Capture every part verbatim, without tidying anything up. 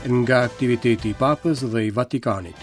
Nga aktiviteti i Papës dhe i Vatikanit.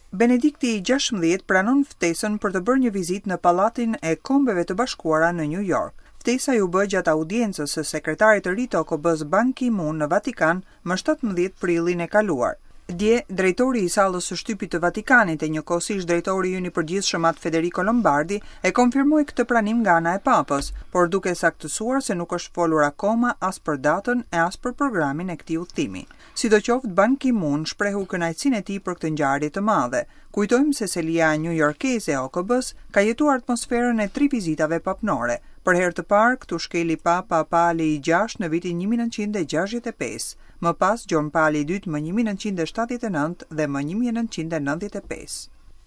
Benedikti i gjashtëmbëdhjetë pranon ftesën për të bërë një vizitë në Pallatin e Kombeve të Bashkuara në New York. Ftesa ju bë gjatë audiencës së sekretarit të ri të O K B-s Ban Ki-moon në Vatikan më shtatëmbëdhjetë prillin e kaluar. Dje, drejtori i sallës së shtypit të Vatikanit e njëkohësisht drejtori ynë i përgjithshëm At Federico Lombardi e konfirmoi këtë pranim nga ana e Papës, por duke saktësuar se nuk është folur akoma as për datën e as për programin e këtij udhëtimi. Sidoqoftë, Ban Ki-moon shprehu kënaqësinë e tij për këtë ngjarje të madhe. Kujtojmë se selia New Yorkese e O K B-s ka jetuar atmosferën e tri vizitave papnore. Për herë të parë, këtu shkeli Papa Pali i gjashtë në vitin një mijë e nëntëqind e gjashtëdhjetë e pesë, më pas Gjon Pali i dytë më një mijë e nëntëqind e shtatëdhjetë e nëntë dhe më një mijë e nëntëqind e nëntëdhjetë e pesë.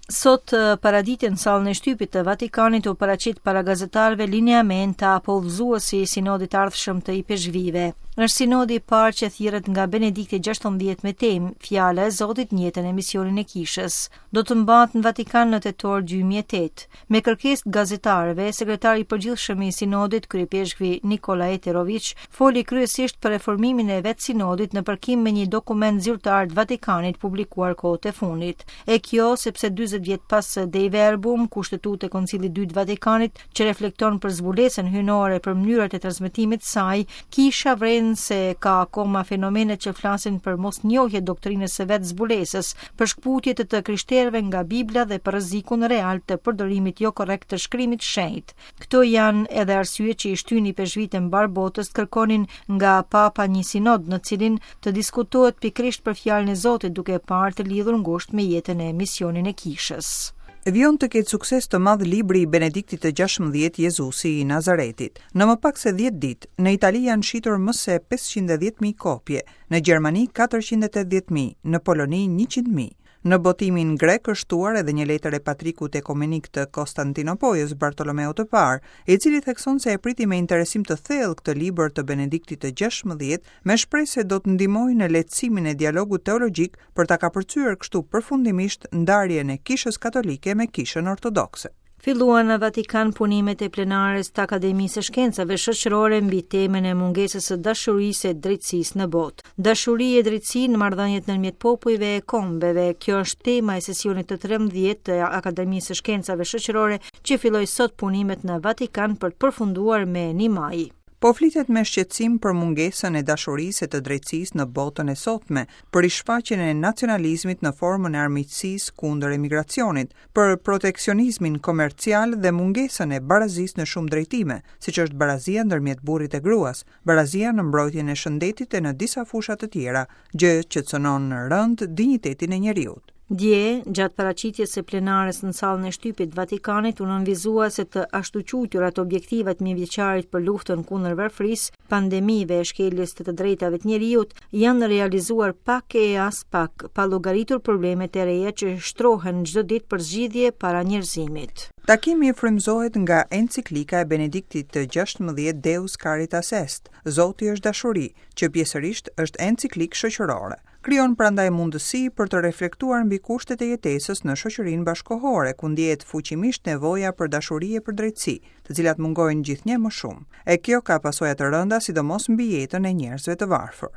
Sot paradite në sallën e shtypit të Vatikanit u paraqit para gazetarëve lineamenta apo udhëzuesi i sinodit të ardhshëm të ipeshkvive. Është sinodi i parë që thirret nga Benedikti gjashtëmbëdhjetë me temë Fjala e Zotit në jetën e misionin e Kishës. Do të mbahet në Vatikan në tetor dy mijë e tetë. Me kërkesë të gazetarëve, sekretari i përgjithshëm i sinodit, kryepeshkvi Nikola Eterović, foli kryesisht për reformimin e vetë sinodit në përkim me një dokument zyrtar të Vatikanit publikuar kohët e fundit. E kjo sepse dyzet vjet pas Dei Verbum, kushtetutë e Koncilit dy të Vatikanit, që reflekton për zbulesën hyjnore për mënyrat e transmetimit të saj, kisha vren se ka akoma fenomene që flasin për mosnjohje doktrinës së vetë zbulesës, për shkputje të të krishterëve nga Bibla dhe për rrezikun real të përdorimit jo korrekt të shkrimit shenjt. Këto janë edhe arsye që i shtyni peshvit e mbar botës të kërkonin nga Papa një sinod në cilin të diskutohet pikërisht për fjalën e Zotit, duke parë të lidhur ngushtë me jetën e misionin e kishës. Vijon të ketë sukses të madh libri i Benediktit të gjashtëmbëdhjetë Jezusi i Nazaretit. Në më pak se dhjetë ditë, në Itali janë shitur më se pesëqind e dhjetë mijë kopje, në Gjermani katërqind e tetëdhjetë mijë, në Poloni njëqind mijë. Në botimin grek është shtuar edhe një letër e patrikut ekumenik të Konstantinopojës Bartolomeu të Parë, i cili thekson se e priti me interesim të thellë këtë libër të Benediktit të gjashtëmbëdhjetë, me shpresë se do të ndihmojë në lehtësimin e dialogut teologjik për ta kapërcyer kështu përfundimisht ndarjen e Kishës Katolike me Kishën Ortodokse. Filluan në Vatikan punimet e plenares të Akademisë së Shkencave Shoqërore mbi temën e mungesës së dashurisë e drejtësisë në botë. Dashuri e drejtësi në marrëdhëniet ndërmjet popujve e kombeve, kjo është tema e sesionit të trembëdhjetë të Akademisë së Shkencave Shoqërore që filloi sot punimet në Vatikan për të përfunduar me një maj. Po flitet me shqetësim për mungesën e dashurisë e të drejtësisë në botën e sotme, për rishfaqjen e nacionalizmit në formën e armiqësisë kundër emigracionit, për proteksionizmin komercial dhe mungesën e barazisë në shumë drejtime, siç është barazia ndërmjet burrit e gruas, barazia në mbrojtjen e shëndetit e në disa fusha të tjera, gjë që cënon rënd dinjitetin e njeriut. Dje, gjatë paraqitjes së plenares në sallën e shtypit të Vatikanit, u nënvizua se të ashtuquajturat objektivat mijëvjeçarit për luftën kundër varfërisë, pandemive e shkeljes të të drejtave të njeriut janë realizuar pak e as pak, pa llogaritur problemet e reja që shtrohen çdo ditë për zgjidhje para njerëzimit. Takimi frymëzohet nga enciklika e Benediktit të gjashtëmbëdhjetë Deus Caritas Est, Zoti është dashuri, që pjesërisht është enciklik shoqërore. Krijon prandaj mundësi për të reflektuar mbi kushtet e jetesës në shoqërinë bashkohore, ku ndjehet fuqimisht nevoja për dashuri e për drejtësi, të cilat mungojnë gjithnjë më shumë. E kjo ka pasoja të rënda, sidomos mbi jetën e njerëzve të varfër.